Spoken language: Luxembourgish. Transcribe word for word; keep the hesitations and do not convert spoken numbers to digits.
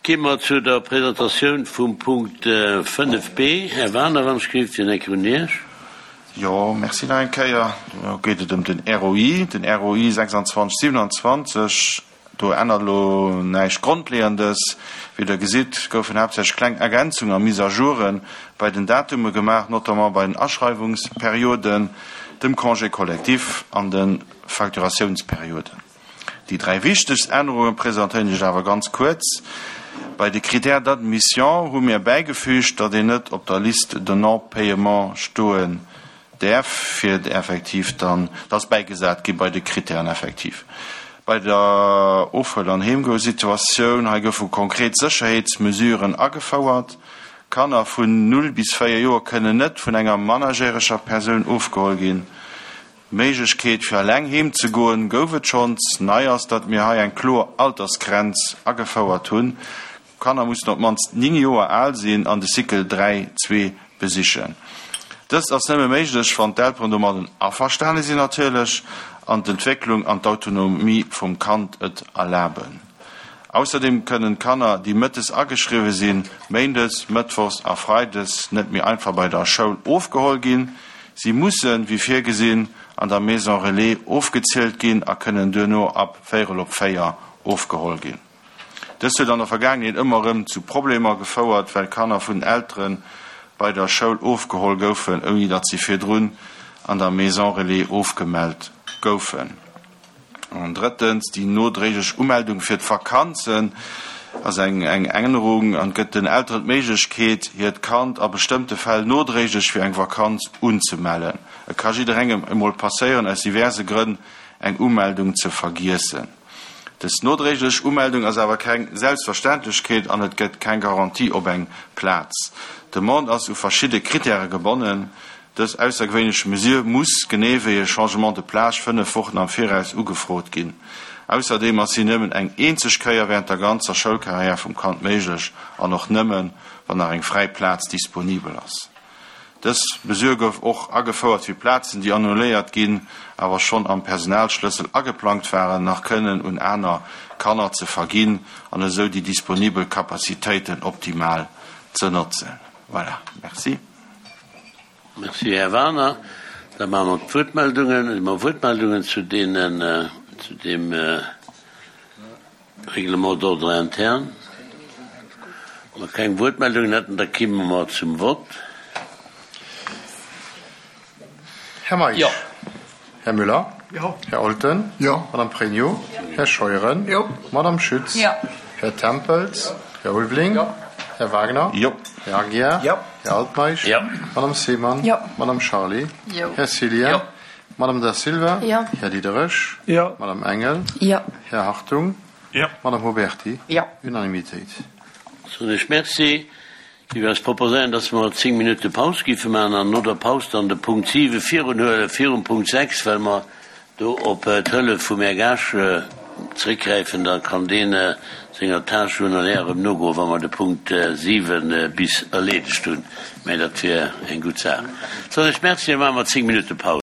Gi mer zu der Presentatioun vum Punkt fënnef b. Här Wagener, wann ech géif, fir eng Kéier un Iech. Jo, merci nach eng Kéier. Do geet et ëm den R O I, den R O I sechsundzwanzeg siewenundzwanzeg. Do ännert elo näischt Grondleeëndes. Wéi Der gesitt, goufen haaptsächlech kleng Ergänzungen a Mise-à-jouren bei den Datume gemaach, notamment bei den Aschreiwungsperioden, dem Congé collectif an de Facturatiounsperioden. Déi dräi wichtegst Ännerunge presentéieren ech awer ganz kuerz. Bei de Critères d'admission hu mir bäigefügt, datt een net op der Liste de non-paiement stoen däerf, fir effektiv dann, dat ass bäigesat gi bei de Critèren effektiv. Bei der Ofhuel an Heemgoe-Situatioun, hei goufe konkret Sécherheetsmesuren agefouert. Kanner vun null bis véier Joer kënnen net vun enger mannerjäreger Persoun ofgeholl ginn. D'Méiglechkeet fir eleng heem ze goen gouf et schonns. Nei ass, datt mir hei eng kloer Altersgrenz agefouert hunn. Kanner mussen op d'mannst néng Joer al sinn an de Cycle dräi zwee besichen. Dëst ass nëmme méiglech, wann d'Elteren domadden averstane sinn natierlech an d'Entwécklung an d'Autonomie vum Kand et erlaben. Ausserdeem kënnen d'Kanner, déi mëttes ageschriwwe sinn, méindes, mëttwochs a freides net méi einfach bei der Schoul ofgeholl ginn. Si mussen, wéi virgesinn, an der Maison Relais ofgezielt ginn a kënnen duerno ab véierel op véier ofgeholl ginn. Dëst huet an der Vergaangenheet ëmmer erëm zu Problemer gefouert, well Kanner vun Eltere bei der Schoul ofgeholl goufen, ouni datt si virdrun an der Maison Relais ofgemellt goufen. An drëttens, déi nodréiglech Umeldung fir d'Vakanzen ass eng eng Ännerung an gëtt den Elteren d'Méiglechkeet, hiert Kand a bestëmmte Fäll nodréiglech fir eng Vakanz unzemellen. Et ka jidderengem emol passéieren, aus diverse Grënn eng Umeldung ze vergiessen. Dës nodréiglech Umeldung ass awer keng Selbstverständlechkeet an et gëtt keng Garantie op eng Plaz. D'Demande ass u verschidde Krittäre gebonnen. Dës aussergewéinlech Mesure muss, genee wéi e Changement de plage, fënnef Wochen am Viraus ugefrot ginn. Ausserdeem ass si nëmmen eng eenzeg Kéier wärend der ganzer Schoulkarriär vum Kand méiglech an och nëmmen, wann nach eng fräi Plaz disponibel ass. Dës Mesure gouf och agefouert, fir Plazen, déi annuléiert ginn, awer schonn am Personalschlëssel ageplangt waren, nach kënnen un aner Kanner ze verginn an esou déi disponibel Kapazitéiten optimal ze notzen. Voilà, merci. Merci, Här Wagener. Da maache mer d'Wuertmeldungen. Hu mer Wuertmeldungen zu deenen, zu deem Règlement d'ordre interne? Wa mer keng Wuertmeldungen hätten, da kimme mer zum Vott. Här Meisch? Jo. Här Müller? Jo. Här Olten? Jo. Madame Pregno? Här Scheuren? Jo. Madame Schütz? Jo. Här Tempels? Här Ulveling? Jo. Här Wagner? Jo. Här Aguiar? Jo. Här Altmeisch? Jo. Madame Seemann? Jo. Madame Charlé? Jo. Här Cillien? Jo. Madame Da Silva? Jo. Här Diderich? Jo. Madame Engel? Jo. Här Hartung? Jo. Madame Huberty? Jo. Unanimitéit. Soen ech Merci. Ech géif eis proposéieren, dass mer zéng Minutte Paus géife maachen an no der Paus dann de Punkt siwe virunhuelen, virum Punkt sechs, well mer do op d'Hëllef vum Här Gaasch zeréckgräifen. Da kann deen senger Tâche journalière erëm nogoen, wa mer de Punkt siwe bis erleedegt hunn. Mä dat wier eng gutt Saach. Soen ech Merci, da maache mer zéng Minutte Paus.